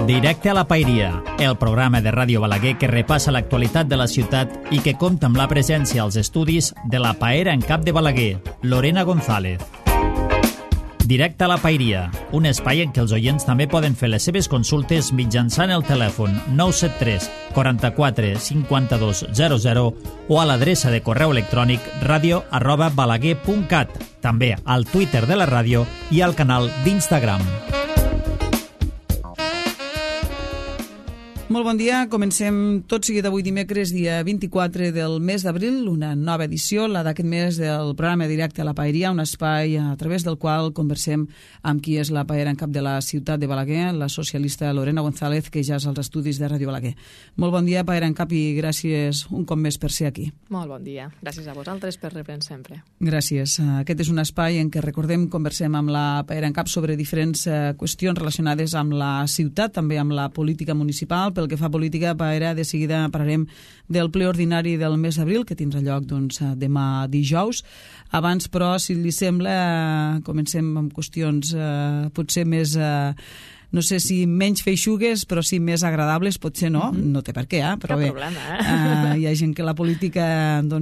Directe a la Paeria, el programa de Ràdio Balaguer que repassa l'actualitat de la ciutat i que compta amb la presència als estudis de la paera en cap de Balaguer, Lorena González. Directe a la Paeria, un espai en què els oients també poden fer les seves consultes mitjançant el telèfon 973 44 52 00 o a l'adreça de correu electrònic radio@balaguer.cat, també al Twitter de la ràdio i al canal d'Instagram. Molt bon dia, comencem tot seguit avui dimecres, dia 24 del mes d'abril, una nova edició, la d'aquest mes del programa Directe a la Paeria, un espai a través del qual conversem amb qui és la paera en cap de la ciutat de Balaguer, la socialista Lorena González, que ja és als estudis de Ràdio Balaguer. Molt bon dia, paera en cap, i gràcies un cop més per ser aquí. Molt bon dia, gràcies a vosaltres per reprendre sempre. Gràcies. Aquest és un espai en què, recordem, conversem amb la paera en cap sobre diferents qüestions relacionades amb la ciutat, també amb la política municipal. Pel que fa a política, paera, de seguida parlarem del ple ordinari del mes d'abril, que tindrà lloc demà dijous. Abans, però, si li sembla, comencem amb qüestions potser més... no sé si menys feixugues, però sí més agradables, potser no, no té per què, però cap bé, problema, hi ha gent que la política no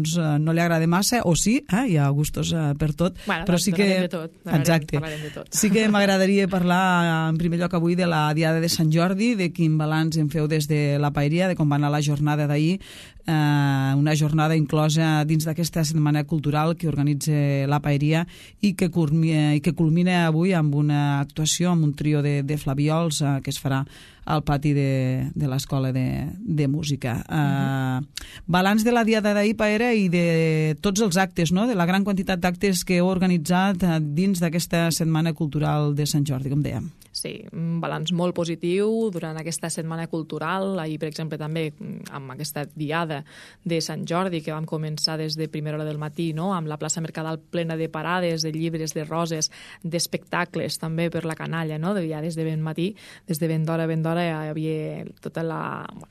li agrada massa, o sí, hi ha gustos per tot, bueno, però sí que... de tot. Exacte. Parlarem de tot. Sí que m'agradaria parlar, en primer lloc avui, de la Diada de Sant Jordi, de quin balanç en feu des de la Paeria, de com va anar la jornada d'ahir, una jornada inclosa dins d'aquesta setmana cultural que organitza la Paeria i que culmina avui amb una actuació, amb un trio de flaviols que es farà al pati de l'Escola de Música. Balanç de la Diada d'ahir, paera, i de tots els actes, no? De la gran quantitat d'actes que heu organitzat dins d'aquesta setmana cultural de Sant Jordi, com dèiem. Sí, un balanç molt positiu durant aquesta setmana cultural. Ahir, per exemple, també amb aquesta diada de Sant Jordi, que vam començar des de primera hora del matí, no? Amb la plaça Mercadal plena de parades, de llibres, de roses, d'espectacles, també per la canalla, no? Ja des de ben matí, des de ben d'hora hi havia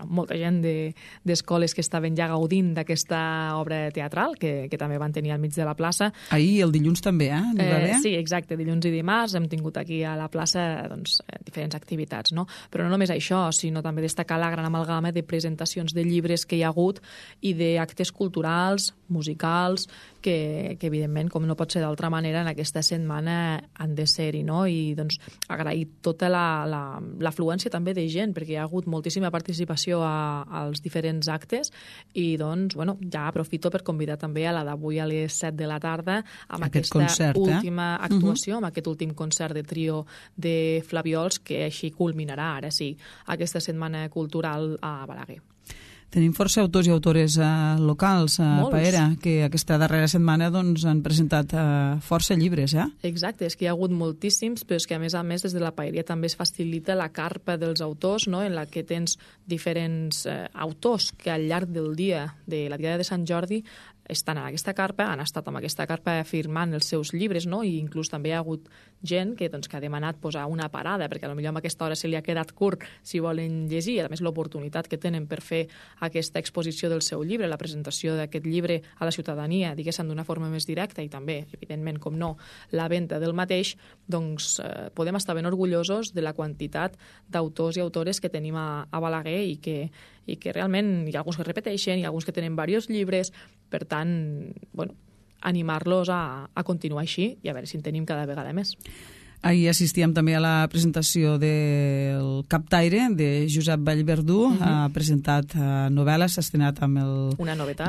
molta gent d'escoles que estaven ja gaudint d'aquesta obra teatral, que també van tenir al mig de la plaça. Ahir, el dilluns també, Sí, exacte, dilluns i dimarts hem tingut aquí a la plaça diferents activitats, no? Però no només això, sinó també destacar la gran amalgama de presentacions de llibres que hi ha hagut i d'actes culturals, musicals, que evidentment, com no pot ser d'altra manera, en aquesta setmana han de ser-hi, no? I doncs agrair tota l'afluència també de gent, perquè hi ha hagut moltíssima participació als diferents actes i doncs, bueno, ja aprofito per convidar també a la d'avui a les 7 de la tarda amb aquesta concert, última actuació, amb aquest últim concert de trio de flaviols que així culminarà, ara sí, aquesta setmana cultural a Balaguer. Tenim força autors i autores locals, paera, que aquesta darrera setmana han presentat força llibres, Exacte, és que hi ha hagut moltíssims, però és que a més des de la Paeria també es facilita la carpa dels autors, no? En la que tens diferents autors que al llarg del dia de la Diada de Sant Jordi estan en aquesta carpa, han estat amb aquesta carpa firmant els seus llibres, no? I inclús també hi ha hagut gent que ha demanat posar una parada, perquè potser amb aquesta hora se li ha quedat curt si volen llegir, a més l'oportunitat que tenen per fer aquesta exposició del seu llibre, la presentació d'aquest llibre a la ciutadania, diguéssim, d'una forma més directa, i també, evidentment, com no, la venda del mateix, doncs podem estar ben orgullosos de la quantitat d'autors i autores que tenim a Balaguer i que realment hi ha alguns que repeteixen, hi ha alguns que tenen diversos llibres, per tant, bueno, animar-los a continuar així i a veure si en tenim cada vegada més. Ahir assistíem també a la presentació del Captaire, de Josep Vallverdú, ha presentat novel·la, s'ha estrenat amb el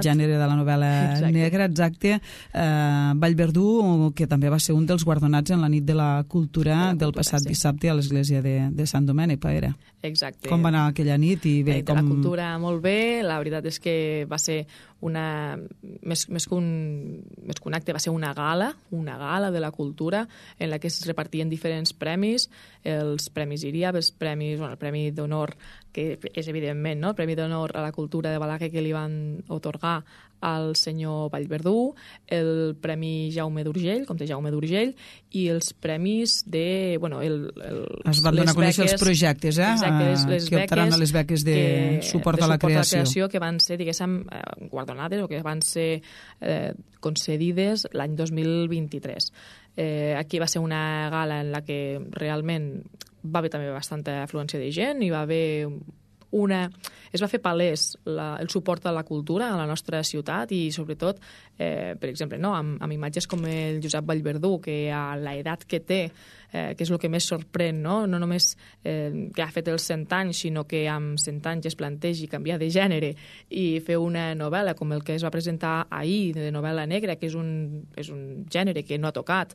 gènere de la novel·la negra, exacte. Vallverdú, que també va ser un dels guardonats en la nit de la cultura del passat dissabte a l'església de Sant Domènec, paera. Exacte. Com va anar aquella nit? I bé, de la cultura molt bé, la veritat és que va ser més que un acte, va ser una gala de la cultura en la que es repartien diferents premis, els premis IRIAB, el Premi d'Honor, que és evidentment, no? El Premi d'Honor a la Cultura de Balaguer que li van otorgar al senyor Vallverdú, el Premi Jaume d'Urgell, comte Jaume d'Urgell, i els premis de... Es van donar a conèixer els projectes, que optaran a les beques de suport a la creació. Que van ser, diguéssim, guardonades o que van ser concedides l'any 2023. Aquí va ser una gala en la que realment va haver també bastanta afluència de gent, hi va haver es va fer palès el suport a la cultura a la nostra ciutat i sobretot, per exemple, no? amb imatges com el Josep Vallverdú, que a l'edat que té, que és el que més sorprèn, no només que ha fet els 100 anys, sinó que amb 100 anys es plantegi canviar de gènere i fer una novel·la com el que es va presentar ahir, de novel·la negra, que és un gènere que no ha tocat.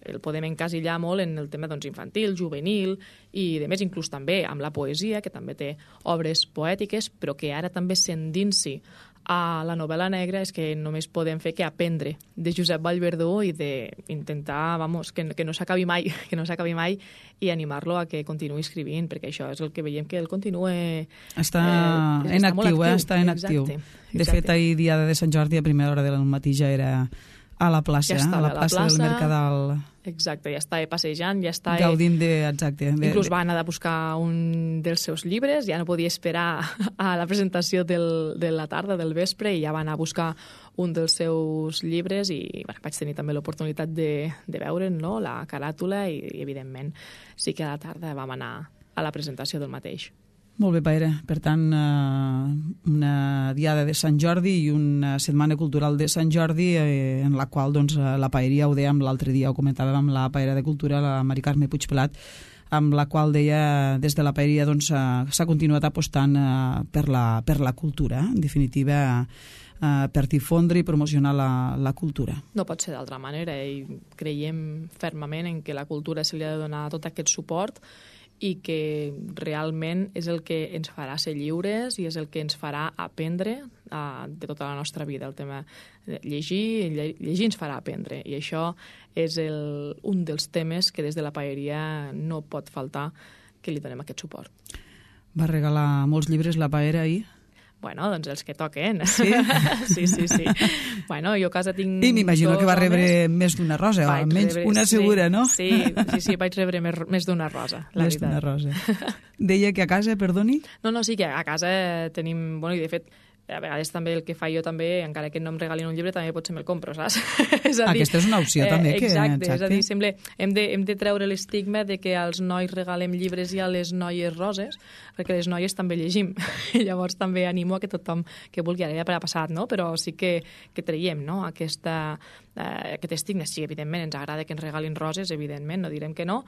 El podem encasillar molt en el tema infantil, juvenil i, de més, inclús també amb la poesia, que també té obres poètiques, però que ara també s'endinsi a la novel·la negra és que només podem fer que aprendre de Josep Vallverdú i d'intentar, que no s'acabi mai, i animar-lo a que continuï escrivint, perquè això és el que veiem, que ell continua... Està en actiu, està en actiu. De fet, ahir, dia de Sant Jordi, a primera hora del matí ja era a la plaça, a la plaça del Mercadal. Exacte, ja estava passejant, ja estava... Gaudint exacte. Inclús va anar a buscar un dels seus llibres, ja no podia esperar a la presentació de la tarda, del vespre, i ja va anar a buscar un dels seus llibres i vaig tenir també l'oportunitat de veure'n, no? La caràtula, i evidentment sí que a la tarda vam anar a la presentació del mateix. Molt bé, Pere. Per tant, una diada de Sant Jordi i una setmana cultural de Sant Jordi en la qual la paeria, ho dèiem l'altre dia, ho comentàvem amb la paera de cultura, la Mari Carme Puigpelat, amb la qual deia des de la paeria s'ha continuat apostant per la cultura, en definitiva, per difondre i promocionar la cultura. No pot ser d'altra manera i creiem fermament en que la cultura se li ha de donar tot aquest suport i que realment és el que ens farà ser lliures i és el que ens farà aprendre de tota la nostra vida. El tema de llegir ens farà aprendre, i això és un dels temes que des de la paeria no pot faltar que li donem aquest suport. Va regalar molts llibres la paera ahir? Bueno, doncs els que toquen. Sí? Sí. Bueno, jo a casa tinc... I m'imagino que va rebre més d'una rosa, o almenys una segura, no? Sí, vaig rebre més d'una rosa, la veritat. Més d'una rosa. Deia que a casa, perdoni? No, sí, que a casa tenim... Bueno, i de fet, a vegades també el que fa jo també, encara que no em regalin un llibre, també potser me'l compro, saps? Aquesta és una opció també. Exacte, és a dir, sembla, hem de treure l'estigma de que als nois regalem llibres i a les noies roses, perquè les noies també llegim. I llavors també animo a que tothom que vulgui, ara ja per a passat, no? Però sí que traiem, no? Aquest estigma. Sí, evidentment, ens agrada que ens regalin roses, evidentment, no direm que no,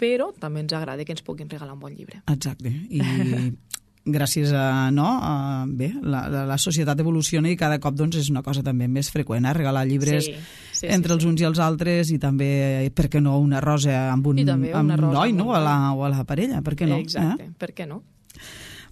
però també ens agrada que ens puguin regalar un bon llibre. Exacte, i gràcies a la societat evoluciona i cada cop és una cosa també més freqüent, regalar llibres entre els uns i els altres, i també, per què no, una rosa amb un noi, no? O a la parella, per què no? Exacte, per què no?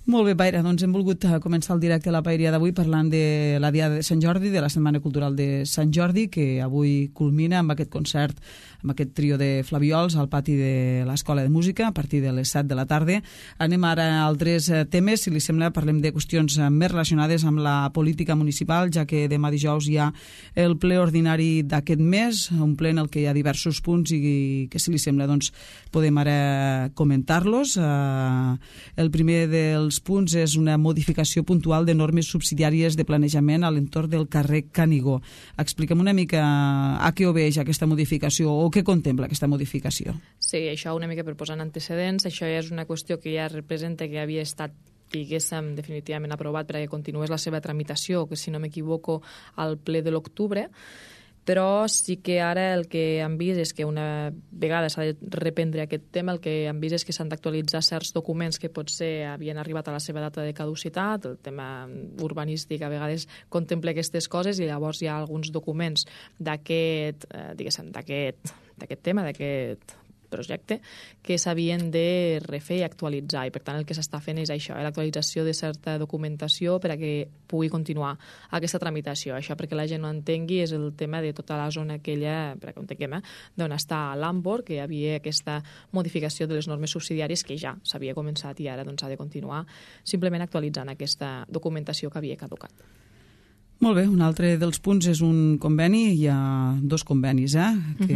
Molt bé, Paira, doncs hem volgut començar el directe a la paeria d'avui parlant de la Diada de Sant Jordi, de la Setmana Cultural de Sant Jordi, que avui culmina amb aquest concert, amb aquest trio de flaviols al pati de l'Escola de Música a partir de les 7 de la tarda. Anem ara a altres temes, si li sembla parlem de qüestions més relacionades amb la política municipal, ja que demà dijous hi ha el ple ordinari d'aquest mes, un ple en el que hi ha diversos punts i que, si li sembla, doncs podem ara comentar-los. El primer dels punts és una modificació puntual de normes subsidiàries de planejament a l'entorn del carrer Canigó. Expliquem una mica a què obeix aquesta modificació o què contempla aquesta modificació. Sí, això una mica per posar en antecedents, això ja és una qüestió que ja representa que havia estat diguéssim definitivament aprovat perquè continués la seva tramitació, que si no m'equivoco al ple de l'octubre, però sí que ara el que han vist és que una vegada s'ha de reprendre aquest tema, el que han vist és que s'han d'actualitzar certs documents que potser havien arribat a la seva data de caducitat, el tema urbanístic a vegades contempla aquestes coses, i llavors hi ha alguns documents d'aquest tema, d'aquest projecte, que s'havien de refer i actualitzar, i per tant el que s'està fent és això, l'actualització de certa documentació per a que pugui continuar aquesta tramitació. Això, perquè la gent no entengui, és el tema de tota la zona aquella, per a que entenguem, d'on està l'Ambor, que hi havia aquesta modificació de les normes subsidiàries que ja s'havia començat i ara doncs, ha de continuar simplement actualitzant aquesta documentació que havia caducat. Molt bé, un altre dels punts és un conveni, hi ha dos convenis que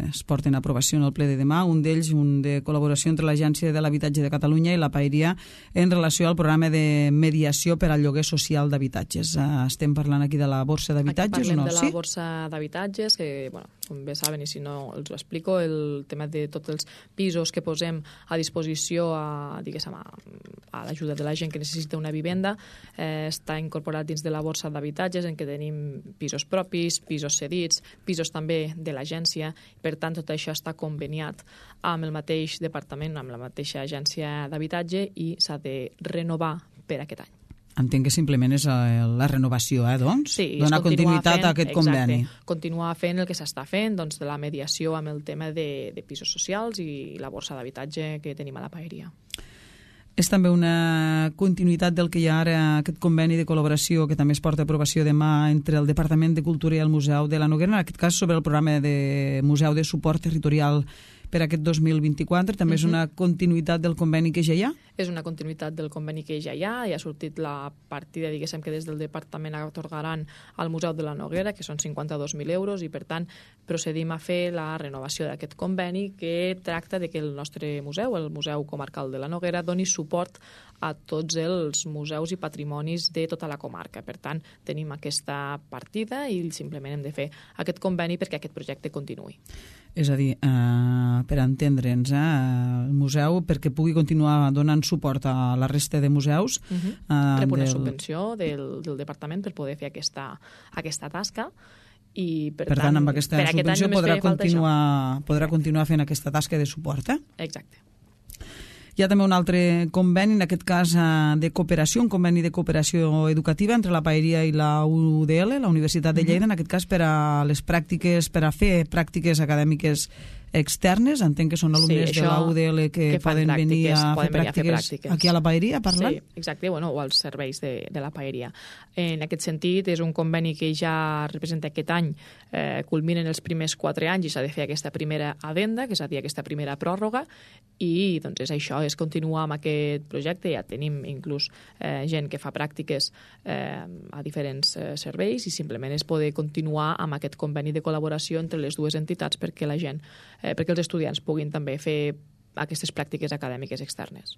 es porten a aprovació en el ple de demà, un d'ells un de col·laboració entre l'Agència de l'Habitatge de Catalunya i la paeria en relació al programa de mediació per al lloguer social d'habitatges. Estem parlant aquí de la borsa d'habitatges o no? Aquí parlem de la borsa d'habitatges, que com bé saben, i si no els ho explico, el tema de tots els pisos que posem a disposició a l'ajuda de la gent que necessita una vivenda, està incorporat dins de la borsa d'habitatges, en què tenim pisos propis, pisos cedits, pisos també de l'agència. Per tant, tot això està conveniat amb el mateix departament, amb la mateixa agència d'habitatge, i s'ha de renovar per aquest any. Entenc que simplement és la renovació, doncs? Sí, donar continuïtat a aquest conveni. Exacte, continuar fent el que s'està fent, doncs, de la mediació amb el tema de pisos socials i la borsa d'habitatge que tenim a la Paeria. És també una continuïtat del que hi ha ara, aquest conveni de col·laboració que també es porta a aprovació demà entre el Departament de Cultura i el Museu de la Noguera, en aquest cas sobre el programa de Museu de Suport Territorial per aquest 2024. També és una continuïtat del conveni que ja hi ha? És una continuïtat del conveni que ja hi ha. Ja ha sortit la partida, diguéssim, que des del departament atorgaran al Museu de la Noguera, que són 52.000 euros, i per tant procedim a fer la renovació d'aquest conveni, que tracta de que el nostre museu, el Museu Comarcal de la Noguera, doni suport a tots els museus i patrimonis de tota la comarca. Per tant, tenim aquesta partida i simplement hem de fer aquest conveni perquè aquest projecte continuï. És a dir, per entendre'ns, el museu, perquè pugui continuar donant suport a la resta de museus... Rep una subvenció del departament per poder fer aquesta tasca, i per tant amb aquesta subvenció podrà continuar fent aquesta tasca de suport. Exacte. Hi ha també un altre conveni, en aquest cas de cooperació, un conveni de cooperació educativa entre la Paeria i la UDL, la Universitat de Lleida, en aquest cas per a les pràctiques, per a fer pràctiques acadèmiques externes. Entenc que són alumnes de la UDL que poden venir a fer pràctiques aquí a la Paeria a parlar. Sí, exacte, o als serveis de la Paeria. En aquest sentit, és un conveni que ja representa aquest any, culminen els primers 4 anys i s'ha de fer aquesta primera addenda, que és a dir, aquesta primera pròrroga, i doncs és això, és continuar amb aquest projecte. Ja tenim inclús gent que fa pràctiques a diferents serveis, i simplement és poder continuar amb aquest conveni de col·laboració entre les dues entitats perquè la gent perquè els estudiants puguin també fer aquestes pràctiques acadèmiques externes.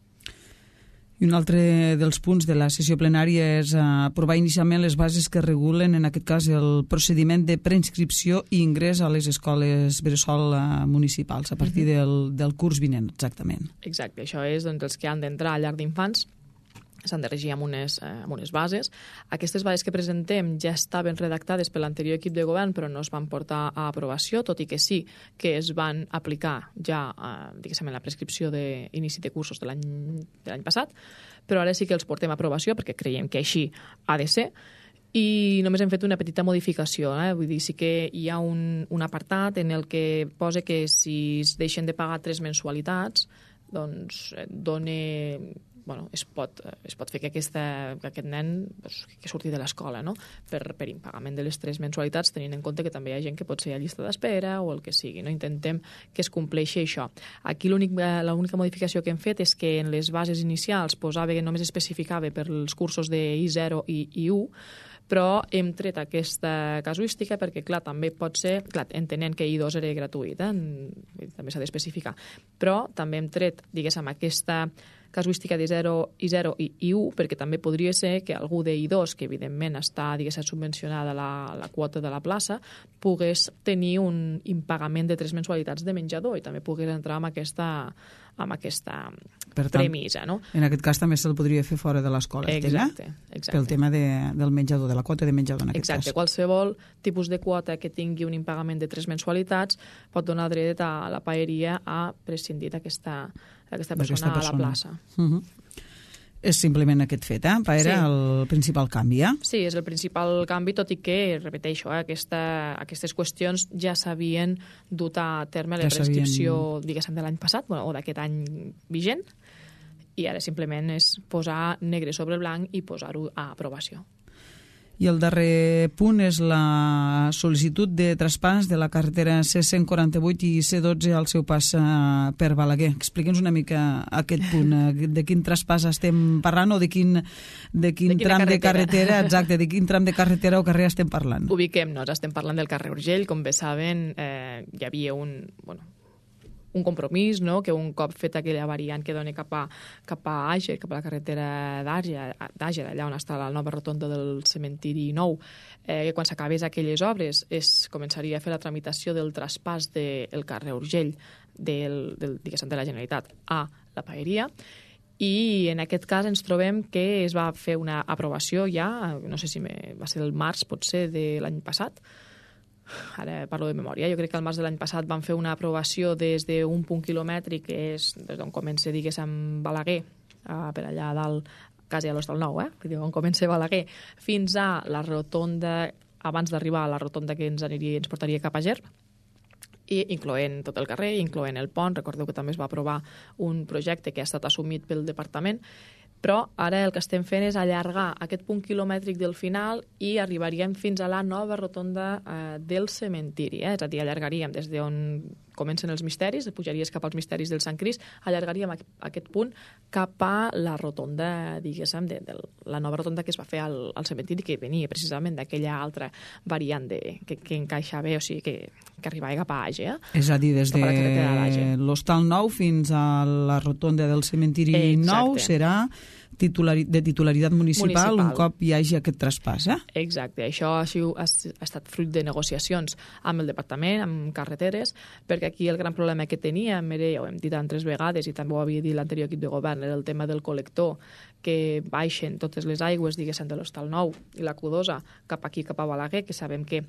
I un altre dels punts de la sessió plenària és aprovar inicialment les bases que regulen, en aquest cas, el procediment de preinscripció i ingrés a les escoles bressol municipals a partir del curs vinent, exactament. Exacte, això és els que han d'entrar a llar d'infants, s'han de regir amb unes bases. Aquestes bases que presentem ja estaven redactades per l'anterior equip de govern, però no es van portar a aprovació, tot i que sí que es van aplicar ja, diguéssim, en la prescripció d'inici de cursos de l'any passat, però ara sí que els portem a aprovació perquè creiem que així ha de ser. I només hem fet una petita modificació, vull dir, sí que hi ha un apartat en el que posa que si es deixen de pagar 3 mensualitats, doncs es pot fer que aquest nen que surti de l'escola, no? per impagament de les 3 mensualitats, tenint en compte que també hi ha gent que pot ser a llista d'espera o el que sigui. No? Intentem que es compleixi això. Aquí l'única modificació que hem fet és que en les bases inicials posava que només especificava per als cursos de I0 i I1, però hem tret aquesta casuística perquè, clar, també pot ser, entenent que I2 era gratuït, també s'ha d'especificar, però també hem tret, diguéssim, aquesta casuística de I0 i I1, perquè també podria ser que algú de I2, que evidentment està, diguéssim, subvencionada la quota de la plaça, pogués tenir un impagament de 3 mensualitats de menjador i també pogués entrar amb aquesta premissa, no? En aquest cas també se'l podria fer fora de l'escola, exacte. Pel tema del menjador, de la quota de menjador en aquest cas. Exacte, qualsevol tipus de quota que tingui un impagament de 3 mensualitats pot donar dret a la Paeria a prescindir d'aquesta persona a la plaça. És simplement aquest fet, Paera, el principal canvi, Sí, és el principal canvi, tot i que, repeteixo, aquestes qüestions ja s'havien dut a terme a la prescripció, diguéssim, de l'any passat, o d'aquest any vigent, i ara simplement és posar negre sobre blanc i posar-ho a aprovació. I el darrer punt és la sol·licitud de traspàs de la carretera C148 i C12 al seu pas per Balaguer. Expliqui'ns una mica aquest punt, de quin traspàs estem parlant o de quin tram de carretera, exacte, de quin tram de carretera o carrer estem parlant. Ubiquem-nos, estem parlant del carrer Urgell, com bé saben, hi havia un compromís, no? Que un cop feta aquella variant que dona cap a Àger, cap a la carretera d'Àger, allà on està la nova rotonda del cementiri nou, que quan s'acabés aquelles obres es començaria a fer la tramitació del traspàs del carrer Urgell diguéssim, de la Generalitat a la Paeria, i en aquest cas ens trobem que es va fer una aprovació ja, no sé si va ser el març, potser, de l'any passat. Ara parlo de memòria. Jo crec que al març de l'any passat van fer una aprovació des d'un punt quilomètric, que és des d'on comença, diguéssim, Balaguer, per allà a dalt, quasi a l'Hostal Nou, on comença Balaguer, fins a la rotonda, abans d'arribar a la rotonda que ens portaria cap a Ger, i incloent tot el carrer, incloent el pont. Recordeu que també es va aprovar un projecte que ha estat assumit pel departament, però ara el que estem fent és allargar aquest punt quilomètric del final i arribaríem fins a la nova rotonda del cementiri. És a dir, allargaríem des d'on comencen els misteris, pujaries cap als misteris del Sant Crist, allargaríem aquest punt cap a la rotonda, diguéssim, de la nova rotonda que es va fer al cementiri, que venia precisament d'aquella altra variant que encaixa bé, o sigui, que arribava cap a Àger. És a dir, des de l'Hostal Nou fins a la rotonda del cementiri nou serà de titularitat municipal un cop hi hagi aquest traspàs, Exacte. Això ha estat fruit de negociacions amb el departament, amb carreteres, perquè aquí el gran problema que teníem, ja ho hem dit altres vegades i també ho havia dit l'anterior equip de govern, era el tema del col·lector, que baixen totes les aigües, diguéssim, de l'Hostal Nou i la Q2 cap aquí, cap a Balaguer, que sabem que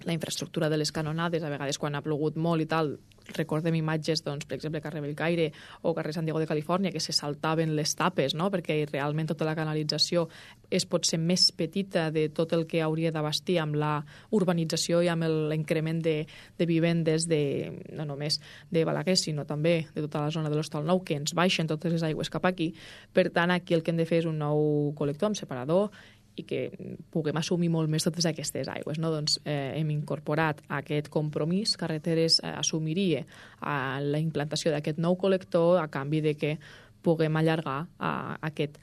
la infraestructura de les canonades, a vegades quan ha plogut molt i tal, recordem imatges, doncs, per exemple, carrer Bellcaire o carrer San Diego de Califòrnia, que se saltaven les tapes, no? Perquè realment tota la canalització és potser més petita de tot el que hauria d'abastir amb la urbanització i amb l'increment de vivendes no només de Balaguer, sinó també de tota la zona de l'Hostal Nou, que ens baixen totes les aigües cap aquí. Per tant, aquí el que hem de fer és un nou col·lector amb separador i que puguem assumir molt més totes aquestes aigües. No? Doncs hem incorporat aquest compromís. Carreteres assumiria la implantació d'aquest nou col·lector a canvi de que puguem allargar aquest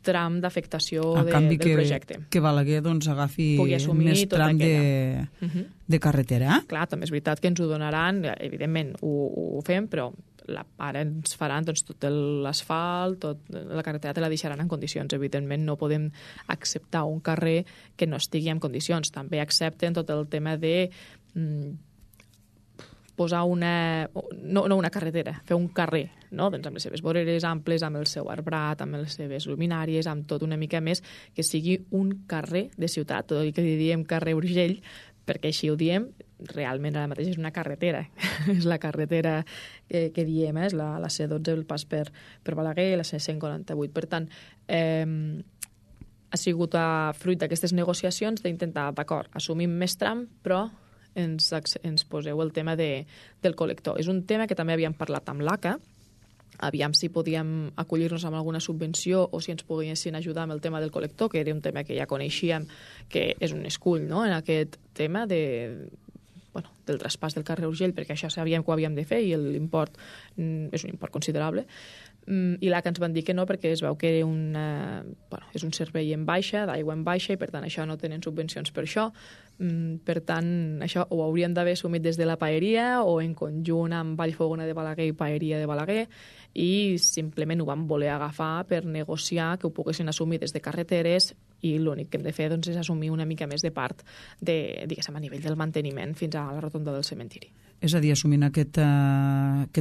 tram d'afectació del projecte. Que Balaguer agafi més tram de carretera. Clar, també és veritat que ens ho donaran, evidentment ho fem, però ara ens faran tot l'asfalt, la carretera te la deixaran en condicions. Evidentment no podem acceptar un carrer que no estigui en condicions. També accepten tot el tema de posar no una carretera, fer un carrer, no? Doncs amb les seves voreres amples, amb el seu arbrat, amb les seves luminàries, amb tot una mica més, que sigui un carrer de ciutat, tot el que diem carrer Urgell, perquè així ho diem, realment ara mateix és una carretera. És la carretera que diem, és la C12, el pas per Balaguer, la C148. Per tant, ha sigut fruit d'aquestes negociacions d'intentar, d'acord, assumim més tram, però ens poseu el tema del col·lector. És un tema que també havíem parlat amb l'ACA, aviam si podíem acollir-nos amb alguna subvenció o si ens poguessin ajudar amb el tema del col·lector, que era un tema que ja coneixíem, que és un escull, no?, en aquest tema del traspàs del carrer Urgell, perquè això sabíem que ho havíem de fer i l'import és un import considerable. I l'ACA ens van dir que no, perquè es veu que era és un servei en baixa, d'aigua en baixa, i per tant això no tenen subvencions per això. Per tant, això ho haurien d'haver assumit des de la Paeria o en conjunt amb Vallfogona de Balaguer i Paeria de Balaguer, i simplement ho vam voler agafar per negociar que ho poguessin assumir des de carreteres, i l'únic que hem de fer és assumir una mica més de part diguéssim, a nivell del manteniment fins a la rotonda del cementiri. És a dir, assumint aquest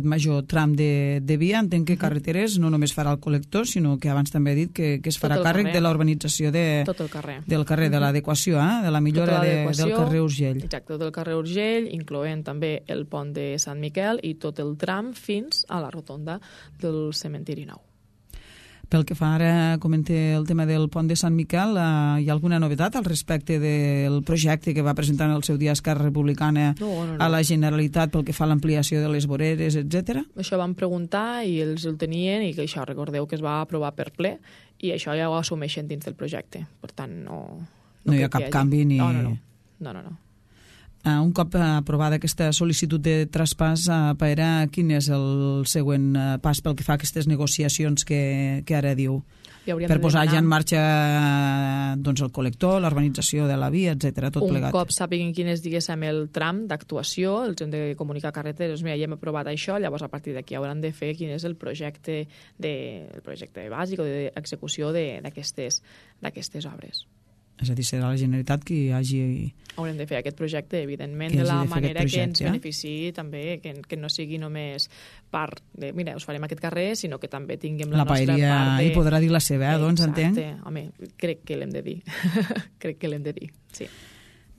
major tram de via, entenc que carreteres no només farà el col·lector, sinó que abans també he dit que es farà càrrec de la urbanització del carrer, de l'adequació, de la millora del carrer Urgell. Exacte, del carrer Urgell, incloent també el pont de Sant Miquel i tot el tram fins a la rotonda del cementiri nou. Pel que fa ara, comente el tema del pont de Sant Miquel, hi ha alguna novetat al respecte del projecte que va presentar en el seu dia Esquerra Republicana a la Generalitat pel que fa a l'ampliació de les voreres, etc.? Això vam preguntar i ells el tenien, i que això, recordeu que es va aprovar per ple, i això ja ho assumeixen dins del projecte. Per tant, no hi ha cap canvi ni... No. Un cop aprovada aquesta sol·licitud de traspàs, Paera, quin és el següent pas pel que fa a aquestes negociacions que ara diu? Per posar ja en marxa doncs, el col·lector, l'urbanització de la via, etc. tot plegat. Un cop sàpiguen quin és, diguéssim, el tram d'actuació, els hem de comunicar a carreteres, mira, ja hem aprovat això, llavors a partir d'aquí hauran de fer quin és el projecte bàsic o d'execució d'aquestes obres. És a dir, serà la Generalitat qui hagi... Haurem de fer aquest projecte, evidentment, de la manera que ens beneficiï també, que no sigui només part de, mira, us farem aquest carrer, sinó que també tinguem la nostra part de... La Paeria hi podrà dir la seva, doncs, entenc? Exacte, home, crec que l'hem de dir. Crec que l'hem de dir, sí.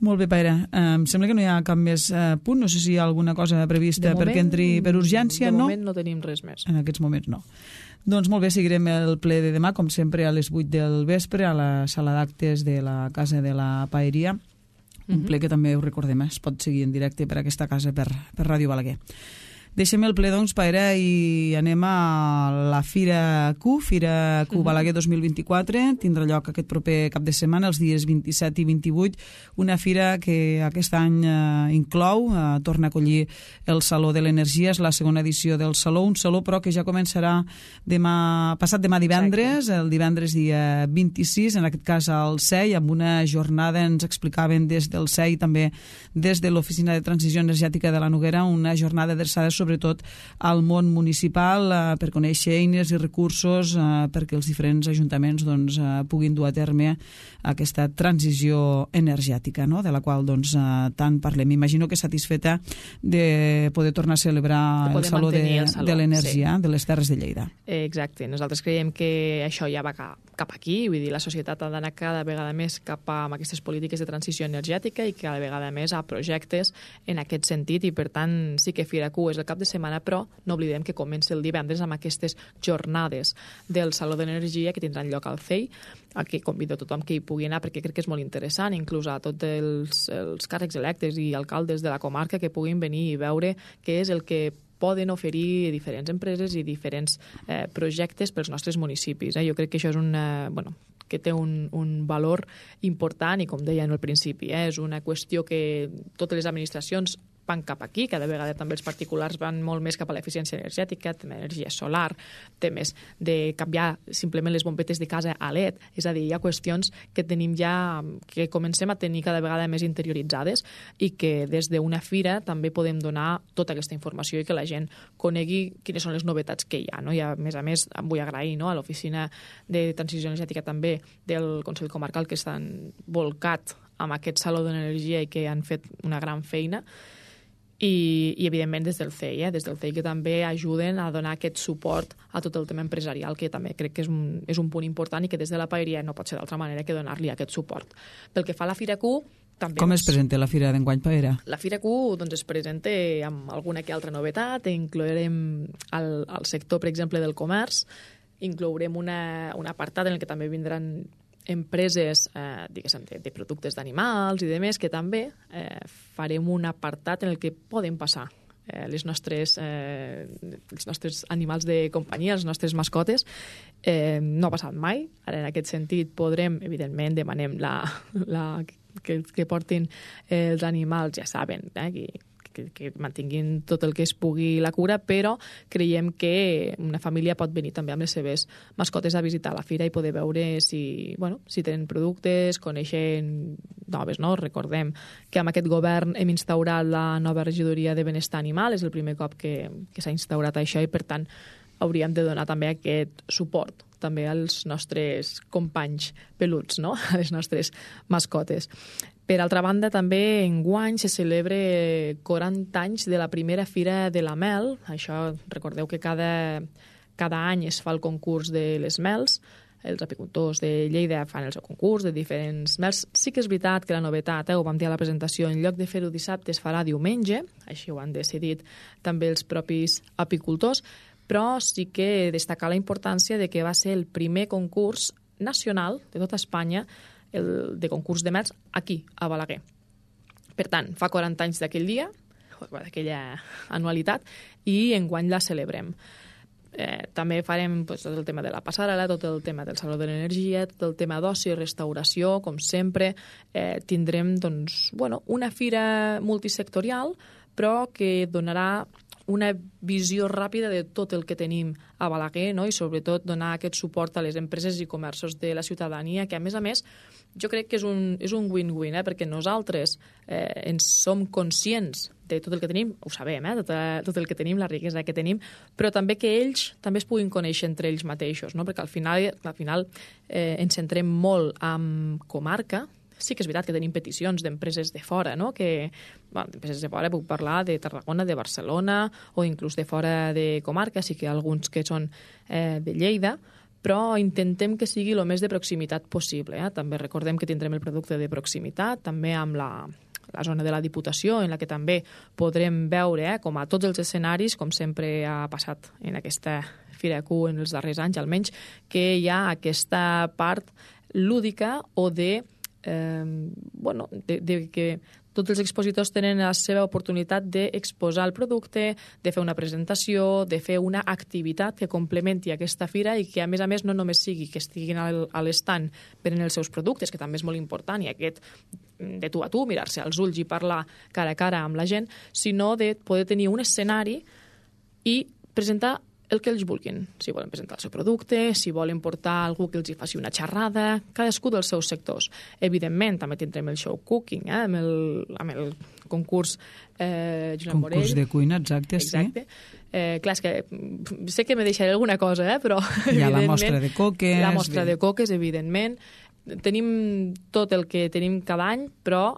Molt bé, Paera. Em sembla que no hi ha cap més punt. No sé si hi ha alguna cosa prevista perquè entri per urgència, no? De moment no tenim res més. En aquests moments no. Doncs molt bé, seguirem el ple de demà, com sempre, a les 8 del vespre, a la sala d'actes de la Casa de la Paeria. Un ple que també ho recordem, es pot seguir en directe per aquesta casa, per Ràdio Balaguer. Deixem el ple, doncs, Paera, i anem a la Fira Q Balaguer 2024. Tindrà lloc aquest proper cap de setmana, els dies 27 i 28. Una fira que aquest any inclou, torna a acollir el Saló de l'Energia, és la segona edició del Saló, un saló però que ja començarà passat demà divendres, el divendres dia 26, en aquest cas al CEI, amb una jornada, ens explicaven des del CEI, també des de l'Oficina de Transició Energètica de la Noguera, una jornada adreçada sobretot al món municipal per conèixer eines i recursos perquè els diferents ajuntaments doncs, puguin dur a terme aquesta transició energètica, no? De la qual doncs, tant parlem. M'imagino que satisfeta de poder tornar a celebrar el Saló de l'Energia, sí, de les Terres de Lleida. Exacte. Nosaltres creiem que això ja va cap aquí, vull dir, la societat ha d'anar cada vegada més cap a aquestes polítiques de transició energètica i cada vegada més a projectes en aquest sentit, i per tant sí que Fira Q és el cap de setmana, però no oblidem que comença el divendres amb aquestes jornades del Saló de l'Energia que tindran lloc al CEI, a què convido a tothom que hi pugui anar perquè crec que és molt interessant, inclús a tots els càrrecs electes i alcaldes de la comarca que puguin venir i veure què és el que poden oferir diferents empreses i diferents projectes pels nostres municipis. Jo crec que això és que té un valor important i, com deia en el principi, és una qüestió que totes les administracions van cap aquí, cada vegada també els particulars van molt més cap a l'eficiència energètica, tema d'energia solar, temes de canviar simplement les bombetes de casa a LED, és a dir, hi ha qüestions que tenim ja, que comencem a tenir cada vegada més interioritzades i que des d'una fira també podem donar tota aquesta informació i que la gent conegui quines són les novetats que hi ha. I a més em vull agrair a l'Oficina de Transició Energètica també del Consell Comarcal que estan volcat amb aquest Saló de l'Energia i que han fet una gran feina. I evidentment des del CEI que també ajuden a donar aquest suport a tot el tema empresarial, que també crec que és un punt important i que des de la Paeria no pot ser d'altra manera que donar-li aquest suport. Pel que fa a la Fira Q, també... Com es presenta la Fira d'enguany, Paera? La Fira Q es presenta amb alguna que altra novetat, inclourem el sector, per exemple, del comerç, inclourem un apartat en el que també vindran empreses de productes d'animals i demés, que també farem un apartat en el que poden passar els nostres animals de companyia, les nostres mascotes. No ha passat mai. Ara, en aquest sentit, podrem, evidentment, demanem que portin els animals, ja saben, que mantinguin tot el que es pugui la cura, però creiem que una família pot venir també amb les seves mascotes a visitar la fira i poder veure si tenen productes, coneixen noves, no? Recordem que amb aquest govern hem instaurat la nova regidoria de benestar animal, és el primer cop que s'ha instaurat això i, per tant, hauríem de donar també aquest suport també als nostres companys peluts, no? A les nostres mascotes. Per altra banda, també enguany se celebra 40 anys de la primera Fira de la Mel. Això, recordeu que cada any es fa el concurs de les mels. Els apicultors de Lleida fan el seu concurs de diferents mels. Sí que és veritat que la novetat, ho vam dir a la presentació, en lloc de fer-ho dissabte es farà diumenge, així ho han decidit també els propis apicultors, però sí que destacar la importància de que va ser el primer concurs nacional de tota Espanya de concurs de mels aquí, a Balaguer. Per tant, fa 40 anys d'aquell dia, d'aquella anualitat, i enguany la celebrem. També farem tot el tema de la passarel·la, tot el tema del Saló de l'Energia, tot el tema d'oci i restauració, com sempre. Tindrem una fira multisectorial, però que donarà una visió ràpida de tot el que tenim a Balaguer, no? I sobretot donar aquest suport a les empreses i comerços de la ciutadania, que a més, jo crec que és un win-win, perquè nosaltres ens som conscients de tot el que tenim, ho sabem, tot el que tenim, la riquesa que tenim, però també que ells també es puguin conèixer entre ells mateixos, no? Perquè al final ens centrem molt en comarca. Sí que és veritat que tenim peticions d'empreses de fora, no? D'empreses de fora puc parlar de Tarragona, de Barcelona o inclús de fora de comarca, sí que hi ha alguns que són de Lleida, però intentem que sigui el més de proximitat possible. També recordem que tindrem el producte de proximitat, també amb la zona de la Diputació, en la que també podrem veure, com a tots els escenaris, com sempre ha passat en aquesta Fira Q en els darrers anys, almenys, que hi ha aquesta part lúdica o de que tots els expositors tenen la seva oportunitat d'exposar el producte, de fer una presentació, de fer una activitat que complementi aquesta fira i que, a més, no només sigui que estiguin a l'estand venent els seus productes, que també és molt important, i aquest de tu a tu, mirar-se als ulls i parlar cara a cara amb la gent, sinó de poder tenir un escenari i presentar el que ells vulguin. Si volen presentar el seu producte, si volen portar algú que els hi faci una xerrada, cadascú dels seus sectors. Evidentment, també tindrem el show cooking, amb el concurs Joan Morell. Concurs de cuina, exacte. Sí. Clar, és que sé que me deixaré alguna cosa, però hi ha la mostra de coques. La mostra de coques, evidentment. Tenim tot el que tenim cada any, però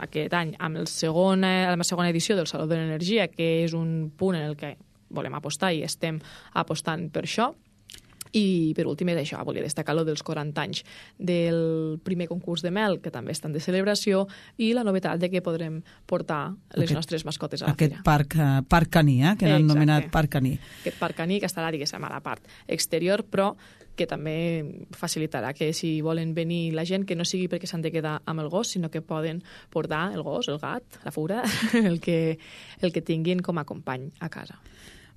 aquest any, amb la segona edició del Saló de l'Energia, que és un punt en el que volem apostar i estem apostant per això. I per últim és això, volia destacar lo dels 40 anys del primer concurs de mel, que també estan de celebració, i la novetat de que podrem portar les nostres mascotes a la fira. Aquest parc caní, que l'han anomenat parc caní. Aquest parc caní que estarà, diguéssim, a la part exterior, però que també facilitarà que si volen venir la gent, que no sigui perquè s'han de quedar amb el gos, sinó que poden portar el gos, el gat, la fura, el que tinguin com a company a casa.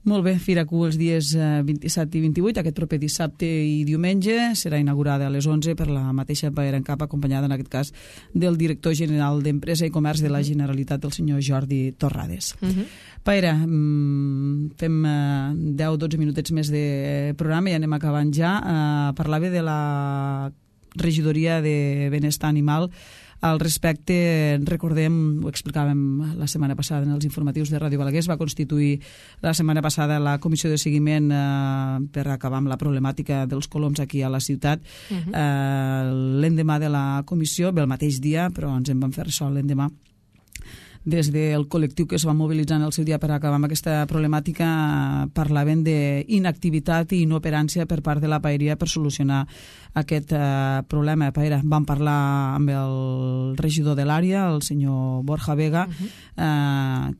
Molt bé, Fira Q els dies 27 i 28, aquest proper dissabte i diumenge, serà inaugurada a les 11 per la mateixa Paera en Cap, acompanyada en aquest cas del director general d'Empresa i Comerç de la Generalitat, el senyor Jordi Torrades. Paera, fem 10-12 minutets més de programa i anem acabant ja. Parlava de la regidoria de benestar animal. Al respecte, recordem, ho explicàvem la setmana passada en els informatius de Ràdio Balaguer, es va constituir la setmana passada la comissió de seguiment per acabar amb la problemàtica dels coloms aquí a la ciutat. L'endemà de la comissió, bé, el mateix dia, però ens en vam fer ressò l'endemà, des del col·lectiu que es va mobilitzar en el seu dia per acabar amb aquesta problemàtica, parlaven d'inactivitat i inoperància per part de la paeria per solucionar aquest problema. Paera, vam parlar amb el regidor de l'àrea, el senyor Borja Vega,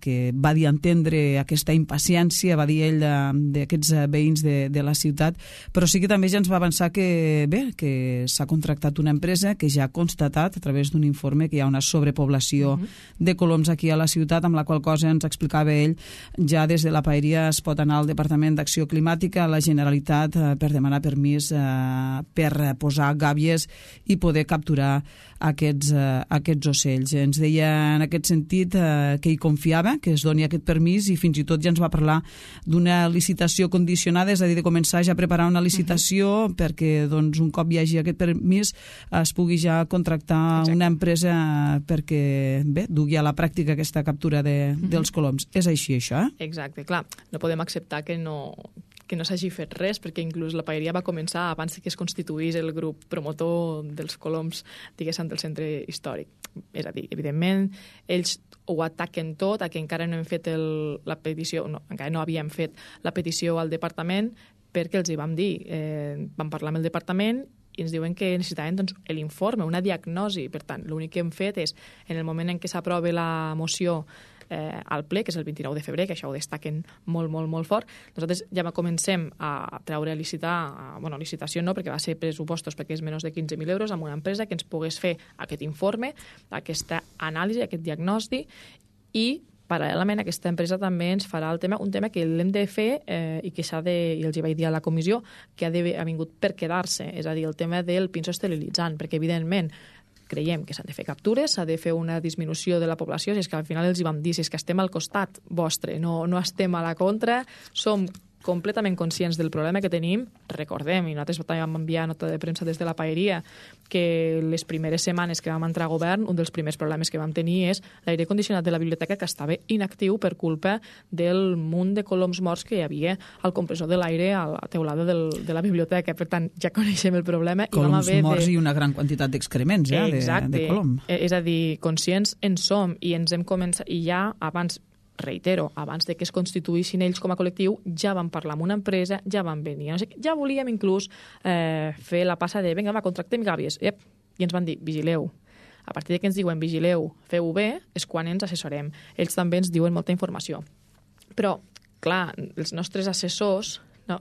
que va dir entendre aquesta impaciència, va dir ell, d'aquests veïns de la ciutat, però sí que també ja ens va avançar que, bé, que s'ha contractat una empresa que ja ha constatat a través d'un informe que hi ha una sobrepoblació de coloms aquí a la ciutat, amb la qual cosa ens explicava ell, ja des de la paeria es pot anar al Departament d'Acció Climàtica, a la Generalitat, per demanar permís per posar gàbies i poder capturar aquests ocells. Ens deia en aquest sentit que hi confiava, que es doni aquest permís, i fins i tot ja ens va parlar d'una licitació condicionada, és a dir, de començar ja a preparar una licitació perquè doncs, un cop hi hagi aquest permís es pugui ja contractar una empresa perquè bé, dugui a la pràctica aquesta captura dels coloms. És així, això? Exacte, clar. No podem acceptar que no s'hagi fet res, perquè inclús la paeria va començar abans que es constituís el grup promotor dels coloms, diguéssim, del centre històric. És a dir, evidentment, ells ho ataquen tot, a que encara no hem fet la petició, encara no havíem fet la petició al departament, perquè els hi vam dir, vam parlar amb el departament i ens diuen que necessitaven doncs, l'informe, una diagnosi. Per tant, l'únic que hem fet és, en el moment en què s'aprova la moció al ple, que és el 29 de febrer, que això ho destaquen molt, molt, molt fort, nosaltres ja comencem a treure a licitar, bueno, licitació no, perquè va ser pressupostos perquè és menys de 15.000 euros, amb una empresa que ens pogués fer aquest informe, aquesta anàlisi, aquest diagnòstic, i paral·lelament aquesta empresa també ens farà un tema que l'hem de fer i que s'ha de, i els hi vaig dir a la comissió, que ha vingut per quedar-se, és a dir, el tema del pinso esterilitzant, perquè evidentment creiem que s'han de fer captures, s'ha de fer una disminució de la població, si és que al final els hi vam dir, si és que estem al costat vostre, no estem a la contra, som completament conscients del problema que tenim. Recordem, i nosaltres també vam enviar nota de premsa des de la Paeria, que les primeres setmanes que vam entrar a govern, un dels primers problemes que vam tenir és l'aire condicionat de la biblioteca, que estava inactiu per culpa del munt de coloms morts que hi havia al compressor de l'aire a la teulada de la biblioteca. Per tant, ja coneixem el problema. Coloms morts i una gran quantitat d'excrements de colom. És a dir, conscients en som i ens hem començat, i ja abans, reitero, abans de que es constituïssin ells com a col·lectiu, ja vam parlar amb una empresa, ja van venir. No sé, ja volíem inclús fer la passa de, vinga, va, contractem gàbies. I ens van dir, vigileu. A partir de que ens diuen, vigileu, feu-ho bé, és quan ens assessorem. Ells també ens diuen molta informació. Però, clar, els nostres assessors, no,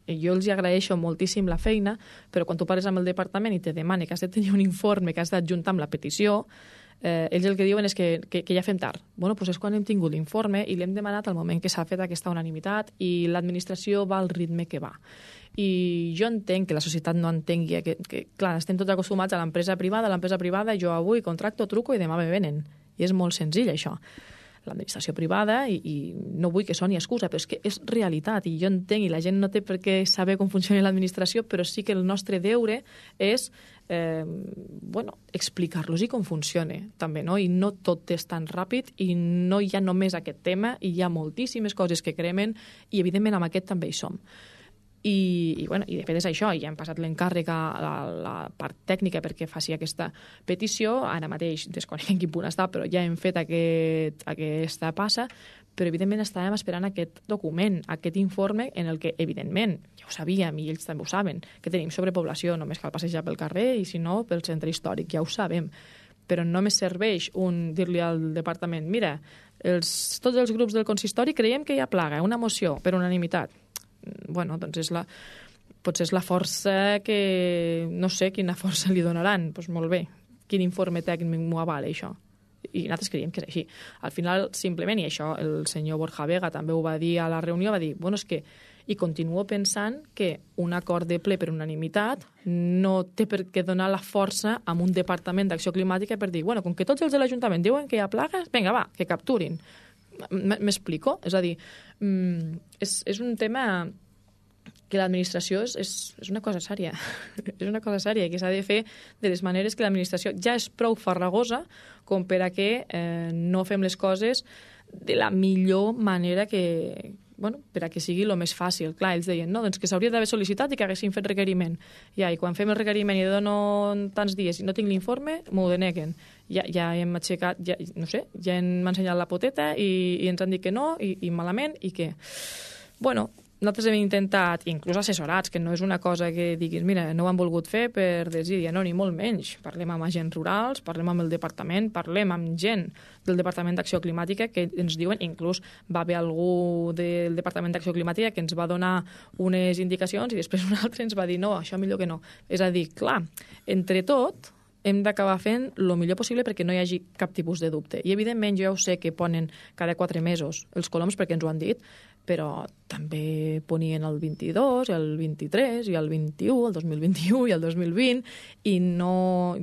jo els agraeixo moltíssim la feina, però quan tu parles amb el departament i te demana que has de tenir un informe que has d'adjuntar amb la petició, ells el que diuen és que ja fem tard. Bueno, doncs és quan hem tingut l'informe i l'hem demanat al moment que s'ha fet aquesta unanimitat i l'administració va al ritme que va. I jo entenc que la societat no entengui que clar, estem tots acostumats a l'empresa privada, jo avui contracto, truco i demà me venen. I és molt senzill, això. L'administració privada, i no vull que soni excusa, però és que és realitat, i jo entenc, i la gent no té per què saber com funciona l'administració, però sí que el nostre deure és explicar-los com funciona, també, no? I no tot és tan ràpid, i no hi ha només aquest tema, i hi ha moltíssimes coses que cremen, i evidentment amb aquest també hi som. I de fet és això, ja hem passat l'encàrrec a la part tècnica perquè faci aquesta petició, ara mateix desconec en quin punt està, però ja hem fet aquesta passa, però evidentment estàvem esperant aquest document, aquest informe en el que, evidentment, ja ho sabíem i ells també ho saben, que tenim sobrepoblació, només cal passejar pel carrer i si no pel centre històric, ja ho sabem, però només serveix dir-li al departament, mira, tots els grups del consistori creiem que hi ha plaga, una moció per unanimitat. Bueno, doncs potser és la força que no sé quina força li donaran, doncs molt bé, quin informe tècnic m'ho avala això, i nosaltres creiem que és així. Al final, simplement, i això el senyor Borja Vega també ho va dir a la reunió, va dir, bueno, és que, i continuo pensant que un acord de ple per unanimitat no té per què donar la força a un departament d'acció climàtica per dir, bueno, com que tots els de l'Ajuntament diuen que hi ha plagues, vinga, va, que capturin. M'explico? És a dir, és un tema que l'administració és una cosa sèria. És una cosa sèria que s'ha de fer de les maneres que l'administració ja és prou farragosa com per a que no fem les coses de la millor manera que, per a que sigui el més fàcil. Clar, ells deien, no, doncs que s'hauria d'haver sol·licitat i que haguessin fet requeriment. I quan fem el requeriment i dono tants dies i no tinc l'informe, m'ho deneguen. Ja hem aixecat, no sé, ja hem ensenyat la poteta i ens han dit que no, i malament, i que... Nosaltres hem intentat, inclús assessorats, que no és una cosa que diguis, mira, no ho han volgut fer per desídia, no, ni molt menys. Parlem amb agents rurals, parlem amb el departament, parlem amb gent del Departament d'Acció Climàtica que ens diuen, inclús va haver algú del Departament d'Acció Climàtica que ens va donar unes indicacions i després un altre ens va dir, no, això millor que no. És a dir, clar, entre tot hem d'acabar fent el millor possible perquè no hi hagi cap tipus de dubte. I, evidentment, jo ja ho sé que ponen cada 4 mesos els coloms perquè ens ho han dit, però també ponien el 22, el 23, i el 21, el 2021 i el 2020, i no...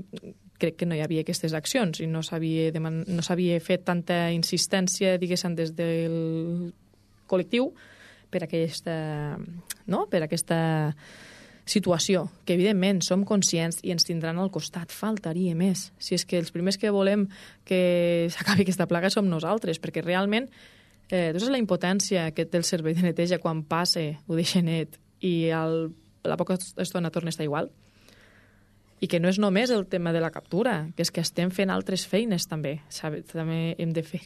crec que no hi havia aquestes accions i no s'havia fet tanta insistència, diguéssim, des del col·lectiu per aquesta situació, que evidentment som conscients i ens tindran al costat, faltaria més. Si és que els primers que volem que s'acabi aquesta plaga som nosaltres, perquè realment és la impotència que té el servei de neteja quan passa, ho deixa net, i a la poca estona torna a estar igual. I que no és només el tema de la captura, que és que estem fent altres feines també. També hem de fer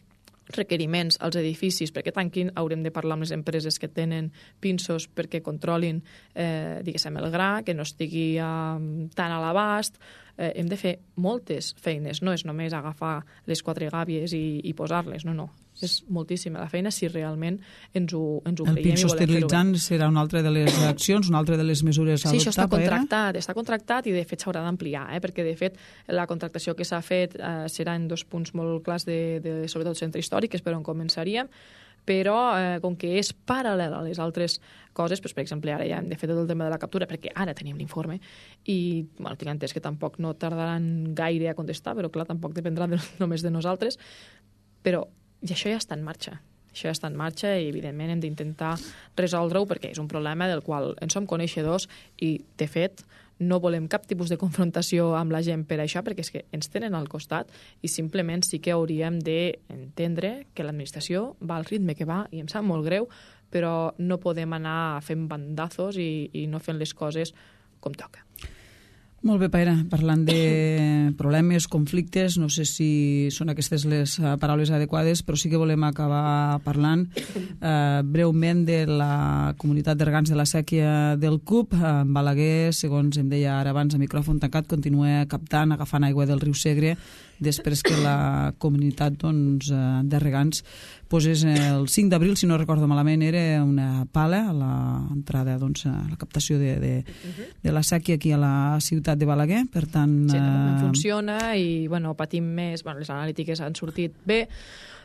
requeriments als edificis perquè tanquin, haurem de parlar amb les empreses que tenen pinços perquè controlin, diguéssim, el gra, que no estigui tan a l'abast. Hem de fer moltes feines, no és només agafar les 4 gàbies i posar-les, no. És moltíssima la feina si realment ens ho creiem. El PIC sostenibilitzant serà una altra de les accions, una altra de les mesures a adoptar. Sí, això està contractat i de fet s'haurà d'ampliar, perquè de fet la contractació que s'ha fet serà en 2 punts molt clars sobretot el centre històric, que és per on començaríem, però com que és paral·lel a les altres coses, doncs, per exemple, ara ja hem de fer tot el tema de la captura, perquè ara tenim l'informe, i tinc entès que tampoc no tardaran gaire a contestar, però clar, tampoc dependrà només de nosaltres, però això ja està en marxa. Això ja està en marxa i, evidentment, hem d'intentar resoldre-ho perquè és un problema del qual en som coneixedors i, de fet, no volem cap tipus de confrontació amb la gent per això, perquè és que ens tenen al costat i simplement sí que hauríem d'entendre que l'administració va al ritme que va i em sap molt greu, però no podem anar fent bandazos i no fent les coses com toca. Molt bé, Paera, parlant de problemes, conflictes, no sé si són aquestes les paraules adequades, però sí que volem acabar parlant breument de la comunitat de regants de la sèquia del CUP. Balaguer, segons em deia ara abans a micròfon tancat, continua captant, agafant aigua del riu Segre, després que la comunitat de regants posés el 5 d'abril, si no recordo malament, era una pala a l'entrada, a la captació de la sèquia aquí a la ciutat de Balaguer, per tant... Sí, no funciona i patim més, les analítiques han sortit bé,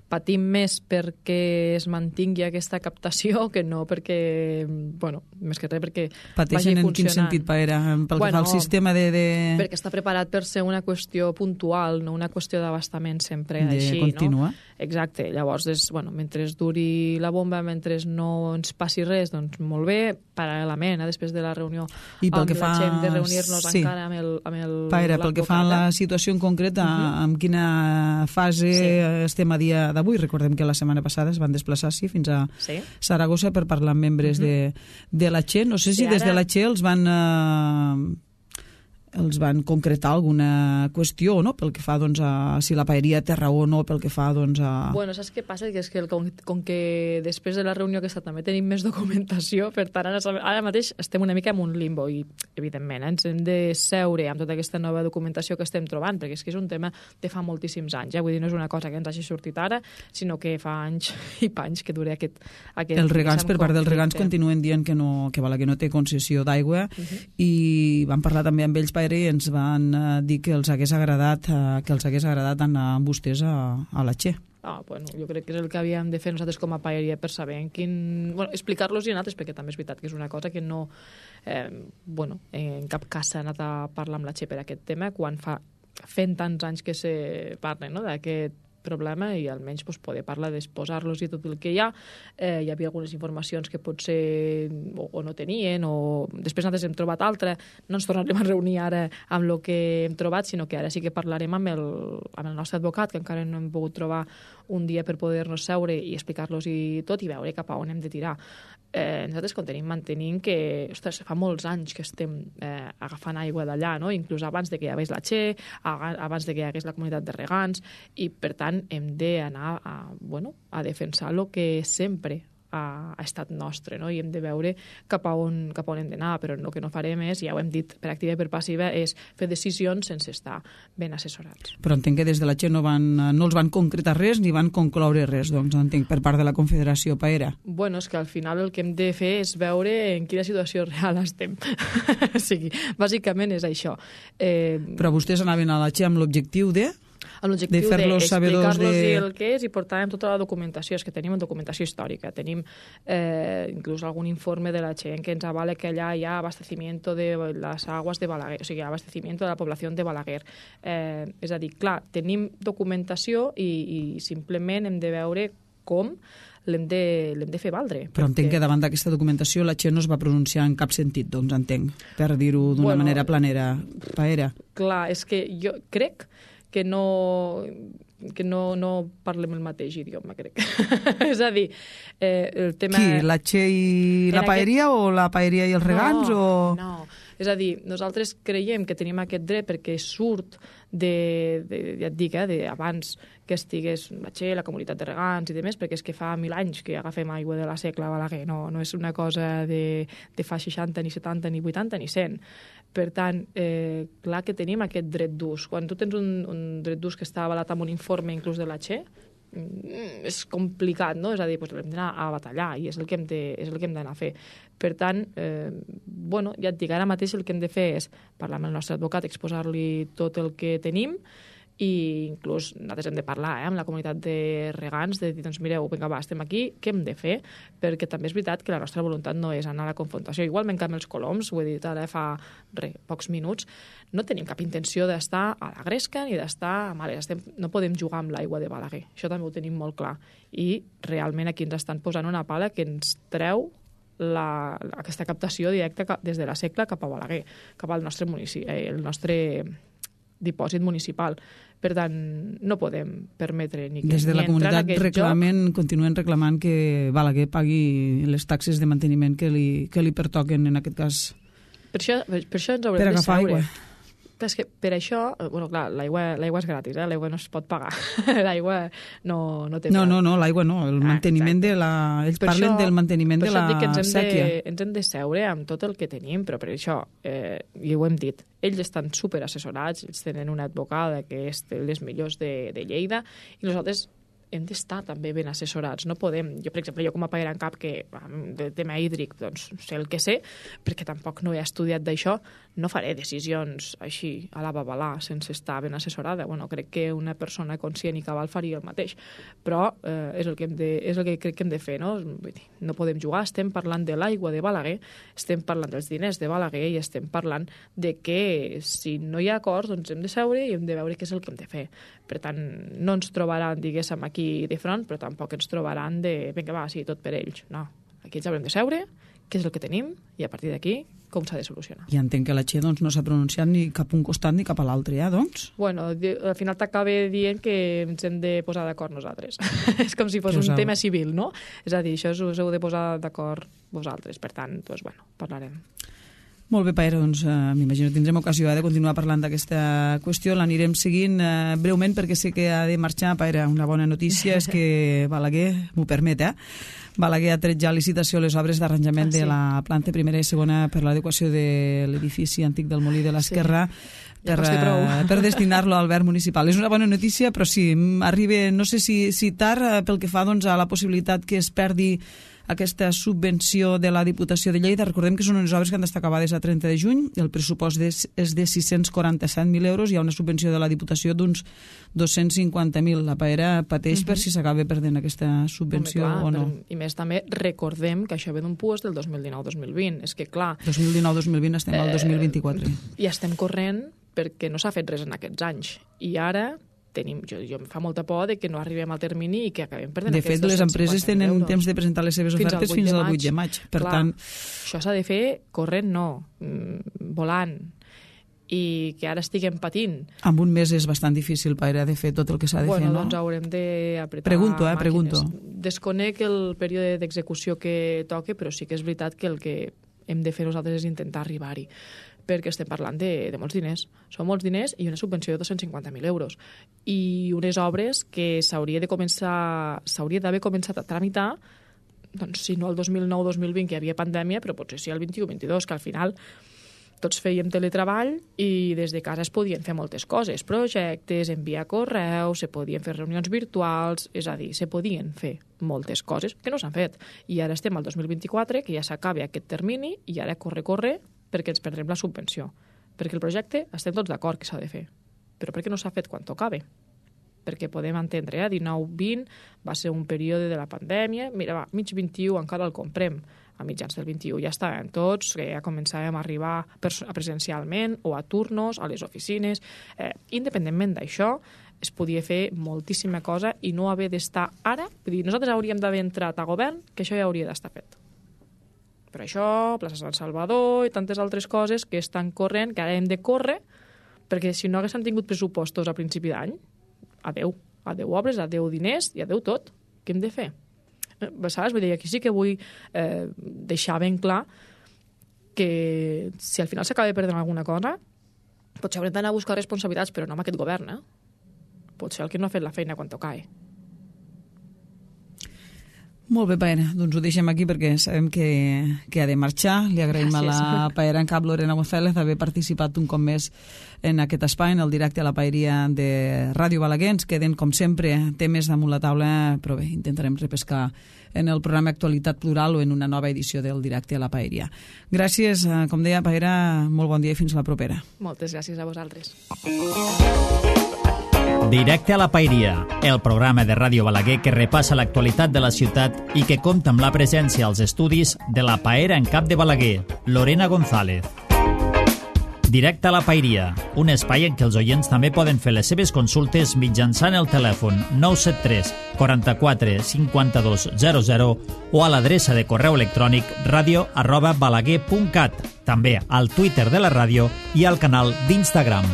patim més perquè es mantingui aquesta captació que no perquè, més que res perquè pateixen vagi funcionant. En quin sentit, Paera? Pel que fa al sistema de... Perquè està preparat per ser una qüestió puntual, no una qüestió d'abastament sempre així, contínua. No? Exacte. Llavors, mentre duri la bomba, mentre no ens passi res, doncs molt bé, paral·lelament, després de la reunió amb la gent, de reunir-nos encara amb el Paera, pel que fa a la situació en concret, en quina fase estem a dia d'avui? Recordem que la setmana passada es van desplaçar fins a Saragossa per parlar amb membres de la Che. No sé si des de la Che els van concretar alguna qüestió, no?, pel que fa a si la paeria té raó o no, pel que fa a... Saps què passa? Que és que com que després de la reunió aquesta també tenim més documentació, per tant ara mateix estem una mica en un limbo i, evidentment, ens hem de seure amb tota aquesta nova documentació que estem trobant, perquè és que és un tema de fa moltíssims anys, vull dir, no és una cosa que ens hagi sortit ara, sinó que fa anys i panys que dura aquest els regants, per part dels regants, continuen dient que Balaguer no té concessió d'aigua i van parlar també amb ells, i ens van dir que els hagués agradat anar amb vostès a la Che. Jo crec que és el que havíem de fer nosaltres com a paeria per saber explicar-los i a nosaltres, perquè també és veritat que és una cosa que no en cap cas s'ha anat a parlar amb la Che per aquest tema, quan fent tants anys que se parla d'aquest problema i almenys poder parlar d'exposar-los i tot el que hi ha. Hi havia algunes informacions que potser o no tenien o després nosaltres hem trobat altra. No ens tornarem a reunir ara amb el que hem trobat, sinó que ara sí que parlarem amb el nostre advocat, que encara no hem pogut trobar un dia per poder-nos seure i explicar-los i tot i veure cap a on hem de tirar. Nosaltres mantenim que fa molts anys que estem agafant aigua d'allà, no? Inclús abans de que hi hagués la Che, abans de que hi hagués la comunitat de regants, i per tant hem d'anar a defensar el que sempre ha estat nostre, no? I hem de veure cap a on hem d'anar, però el que no farem és, ja ho hem dit per activa i per passiva, és fer decisions sense estar ben assessorats. Però entenc que des de la Che no els van concretar res ni van concloure res, doncs entenc, per part de la Confederació Paera. És que al final el que hem de fer és veure en quina situació real estem. O sigui, bàsicament és això. Però vostès anaven a la Che amb l'objectiu de fer-los explicar-los el que és i portàvem tota la documentació. És que tenim documentació històrica, tenim inclús algun informe de la Che que ens avala que allà hi ha abastecimiento de les aguas de Balaguer, o sigui, abastecimiento de la població de Balaguer. És a dir, clar, tenim documentació i simplement hem de veure com l'hem de fer valdre. Però entenc que davant d'aquesta documentació la Che no es va pronunciar en cap sentit, doncs entenc, per dir-ho d'una manera planera, Paera. Clar, és que jo crec que no parlem el mateix idioma, crec. És a dir, el tema... Qui, la Che i la paeria o la paeria i els regants? No, és a dir, nosaltres creiem que tenim aquest dret perquè surt ja et dic, abans que estigués la Che, la comunitat de regants i demés, perquè és que fa 1000 anys que agafem aigua de la Secla a Balaguer, no és una cosa de fa 60, ni 70, ni 80, ni 100. Per tant, clar que tenim aquest dret d'ús. Quan tu tens un dret d'ús que està avalat amb un informe inclús de la Che, és complicat, no? És a dir, doncs hem d'anar a batallar i és el que hem d'anar a fer. Per tant, ja et dic, ara mateix el que hem de fer és parlar amb el nostre advocat, exposar-li tot el que tenim, i inclús nosaltres hem de parlar amb la comunitat de regants, de dir, doncs mireu, vinga, va, estem aquí, què hem de fer? Perquè també és veritat que la nostra voluntat no és anar a la confrontació. Igualment que amb els coloms, ho he dit ara fa pocs minuts, no tenim cap intenció d'estar a la gresca ni d'estar a males. No podem jugar amb l'aigua de Balaguer. Això també ho tenim molt clar. I realment aquí ens estan posant una pala que ens treu aquesta captació directa des de la Secla cap a Balaguer, cap al nostre municipi, el nostre dipòsit municipal. Per tant, no podem permetre ni que des de la comunitat continuen reclamant que Balaguer pagui les taxes de manteniment que li pertoquen, en aquest cas, per això ens haurem de seure. Aigua. Però és que per això, clar, l'aigua és gratis, l'aigua no es pot pagar. L'aigua no té preu. No, l'aigua no, el manteniment ells parlen del manteniment de la sèquia. Ens hem de seure amb tot el que tenim, però per això, i ho hem dit, ells estan superassessorats, ells tenen una advocada que és de les millors de Lleida, i nosaltres hem d'estar també ben assessorats. No podem, per exemple, com a paera en cap, que del tema hídric, doncs sé el que sé, perquè tampoc no he estudiat d'això, no faré decisions així a la babalà, sense estar ben assessorada. Crec que una persona conscient i cabal faria el mateix, però és el que crec que hem de fer, no? Vull dir, no podem jugar, estem parlant de l'aigua de Balaguer, estem parlant dels diners de Balaguer i estem parlant de que si no hi ha acords, doncs hem de seure i hem de veure què és el que hem de fer. Per tant, no ens trobaran, diguéssim, aquí de front, però tampoc ens trobaran de, vinga, va, sí, tot per ells. No, aquí ens haurem de seure, què és el que tenim, i a partir d'aquí, com s'ha de solucionar. I entenc que la Txe no s'ha pronunciat ni cap a un costat ni cap a l'altre, doncs? Al final t'acaba dient que ens hem de posar d'acord nosaltres. És com si fos un tema civil, no? És a dir, això us heu de posar d'acord vosaltres. Per tant, parlarem. Molt bé, Paera, doncs m'imagino que tindrem ocasió de continuar parlant d'aquesta qüestió. L'anirem seguint breument perquè sé que ha de marxar. Paera, una bona notícia és que Balaguer, m'ho permet, Balaguer ha tret ja licitació les obres d'arranjament de la planta primera i segona per l'adequació de l'edifici antic del Molí de l'Esquerra per destinar-lo al verd municipal. És una bona notícia, però sí, arriba, no sé si tard, pel que fa a la possibilitat que es perdi aquesta subvenció de la Diputació de Lleida. Recordem que són unes obres que han d'estar acabades a 30 de juny, el pressupost és de 647.000 euros, hi ha una subvenció de la Diputació d'uns 250.000. La Paera pateix per si s'acaba perdent aquesta subvenció o no. I més també recordem que això ve d'un PUES del 2019-2020. És que clar... 2019-2020 estem al 2024. I estem corrent perquè no s'ha fet res en aquests anys. I ara... jo em fa molta por de que no arribem al termini i que acabem perdent aquests 250.000 euros. De fet, les empreses tenen temps de presentar les seves ofertes fins al 8 de maig. Per tant, això s'ha de fer corrent, no, volant. I que ara estiguem patint. Amb un mes és bastant difícil, Paera, de fer tot el que s'ha de fer, no? Doncs haurem d'apretar Pregunto. Desconec el període d'execució que toque, però sí que és veritat que el que hem de fer nosaltres és intentar arribar-hi, perquè estem parlant de molts diners. Són molts diners i una subvenció de 250.000 euros. I unes obres que s'hauria d'haver començat a tramitar, doncs si no el 2009-2020, que hi havia pandèmia, però potser sí el 21-22, que al final tots fèiem teletreball i des de casa es podien fer moltes coses, projectes, enviar correus, se podien fer reunions virtuals, és a dir, se podien fer moltes coses que no s'han fet. I ara estem al 2024, que ja s'acaba aquest termini, i ara corre, perquè ens perdrem la subvenció. Perquè el projecte estem tots d'acord que s'ha de fer. Però per què no s'ha fet quan tocava? Perquè podem entendre, 19-20 va ser un període de la pandèmia, mira, mig 21 encara el comprem, a mitjans del 21 ja estàvem tots, que ja començàvem a arribar presencialment o a turnos, a les oficines. Independentment d'això, es podia fer moltíssima cosa i no haver d'estar ara. Vull dir, nosaltres hauríem d'haver entrat a govern, que això ja hauria d'estar fet. Per això, plaça Sant Salvador i tantes altres coses que estan corrent, que ara hem de córrer, perquè si no haguéssim tingut pressupostos a principi d'any, adeu obres, adeu diners i adeu tot. Què hem de fer? Saps? Vull dir, aquí sí que vull deixar ben clar que si al final s'acaba perdent alguna cosa, potser haurem d'anar a buscar responsabilitats, però no amb aquest govern, Potser el que no ha fet la feina quan tocava. Molt bé, Paera, doncs ho deixem aquí perquè sabem que ha de marxar. Li agraïm a la Paera en cap Lorena González haver participat un cop més en aquest espai, en el directe a la Paeria de Ràdio Balaguer. Ens queden, com sempre, temes damunt la taula, però bé, intentarem repescar en el programa Actualitat Plural o en una nova edició del directe a la Paeria. Gràcies, com deia, Paera, molt bon dia i fins la propera. Moltes gràcies a vosaltres. Directe a la Paeria, el programa de Ràdio Balaguer que repassa l'actualitat de la ciutat i que compta amb la presència als estudis de la Paera en cap de Balaguer, Lorena González. Directe a la Paeria, un espai en què els oients també poden fer les seves consultes mitjançant el telèfon 973 44 52 00 o a l'adreça de correu electrònic radio@balaguer.cat, també al Twitter de la ràdio i al canal d'Instagram.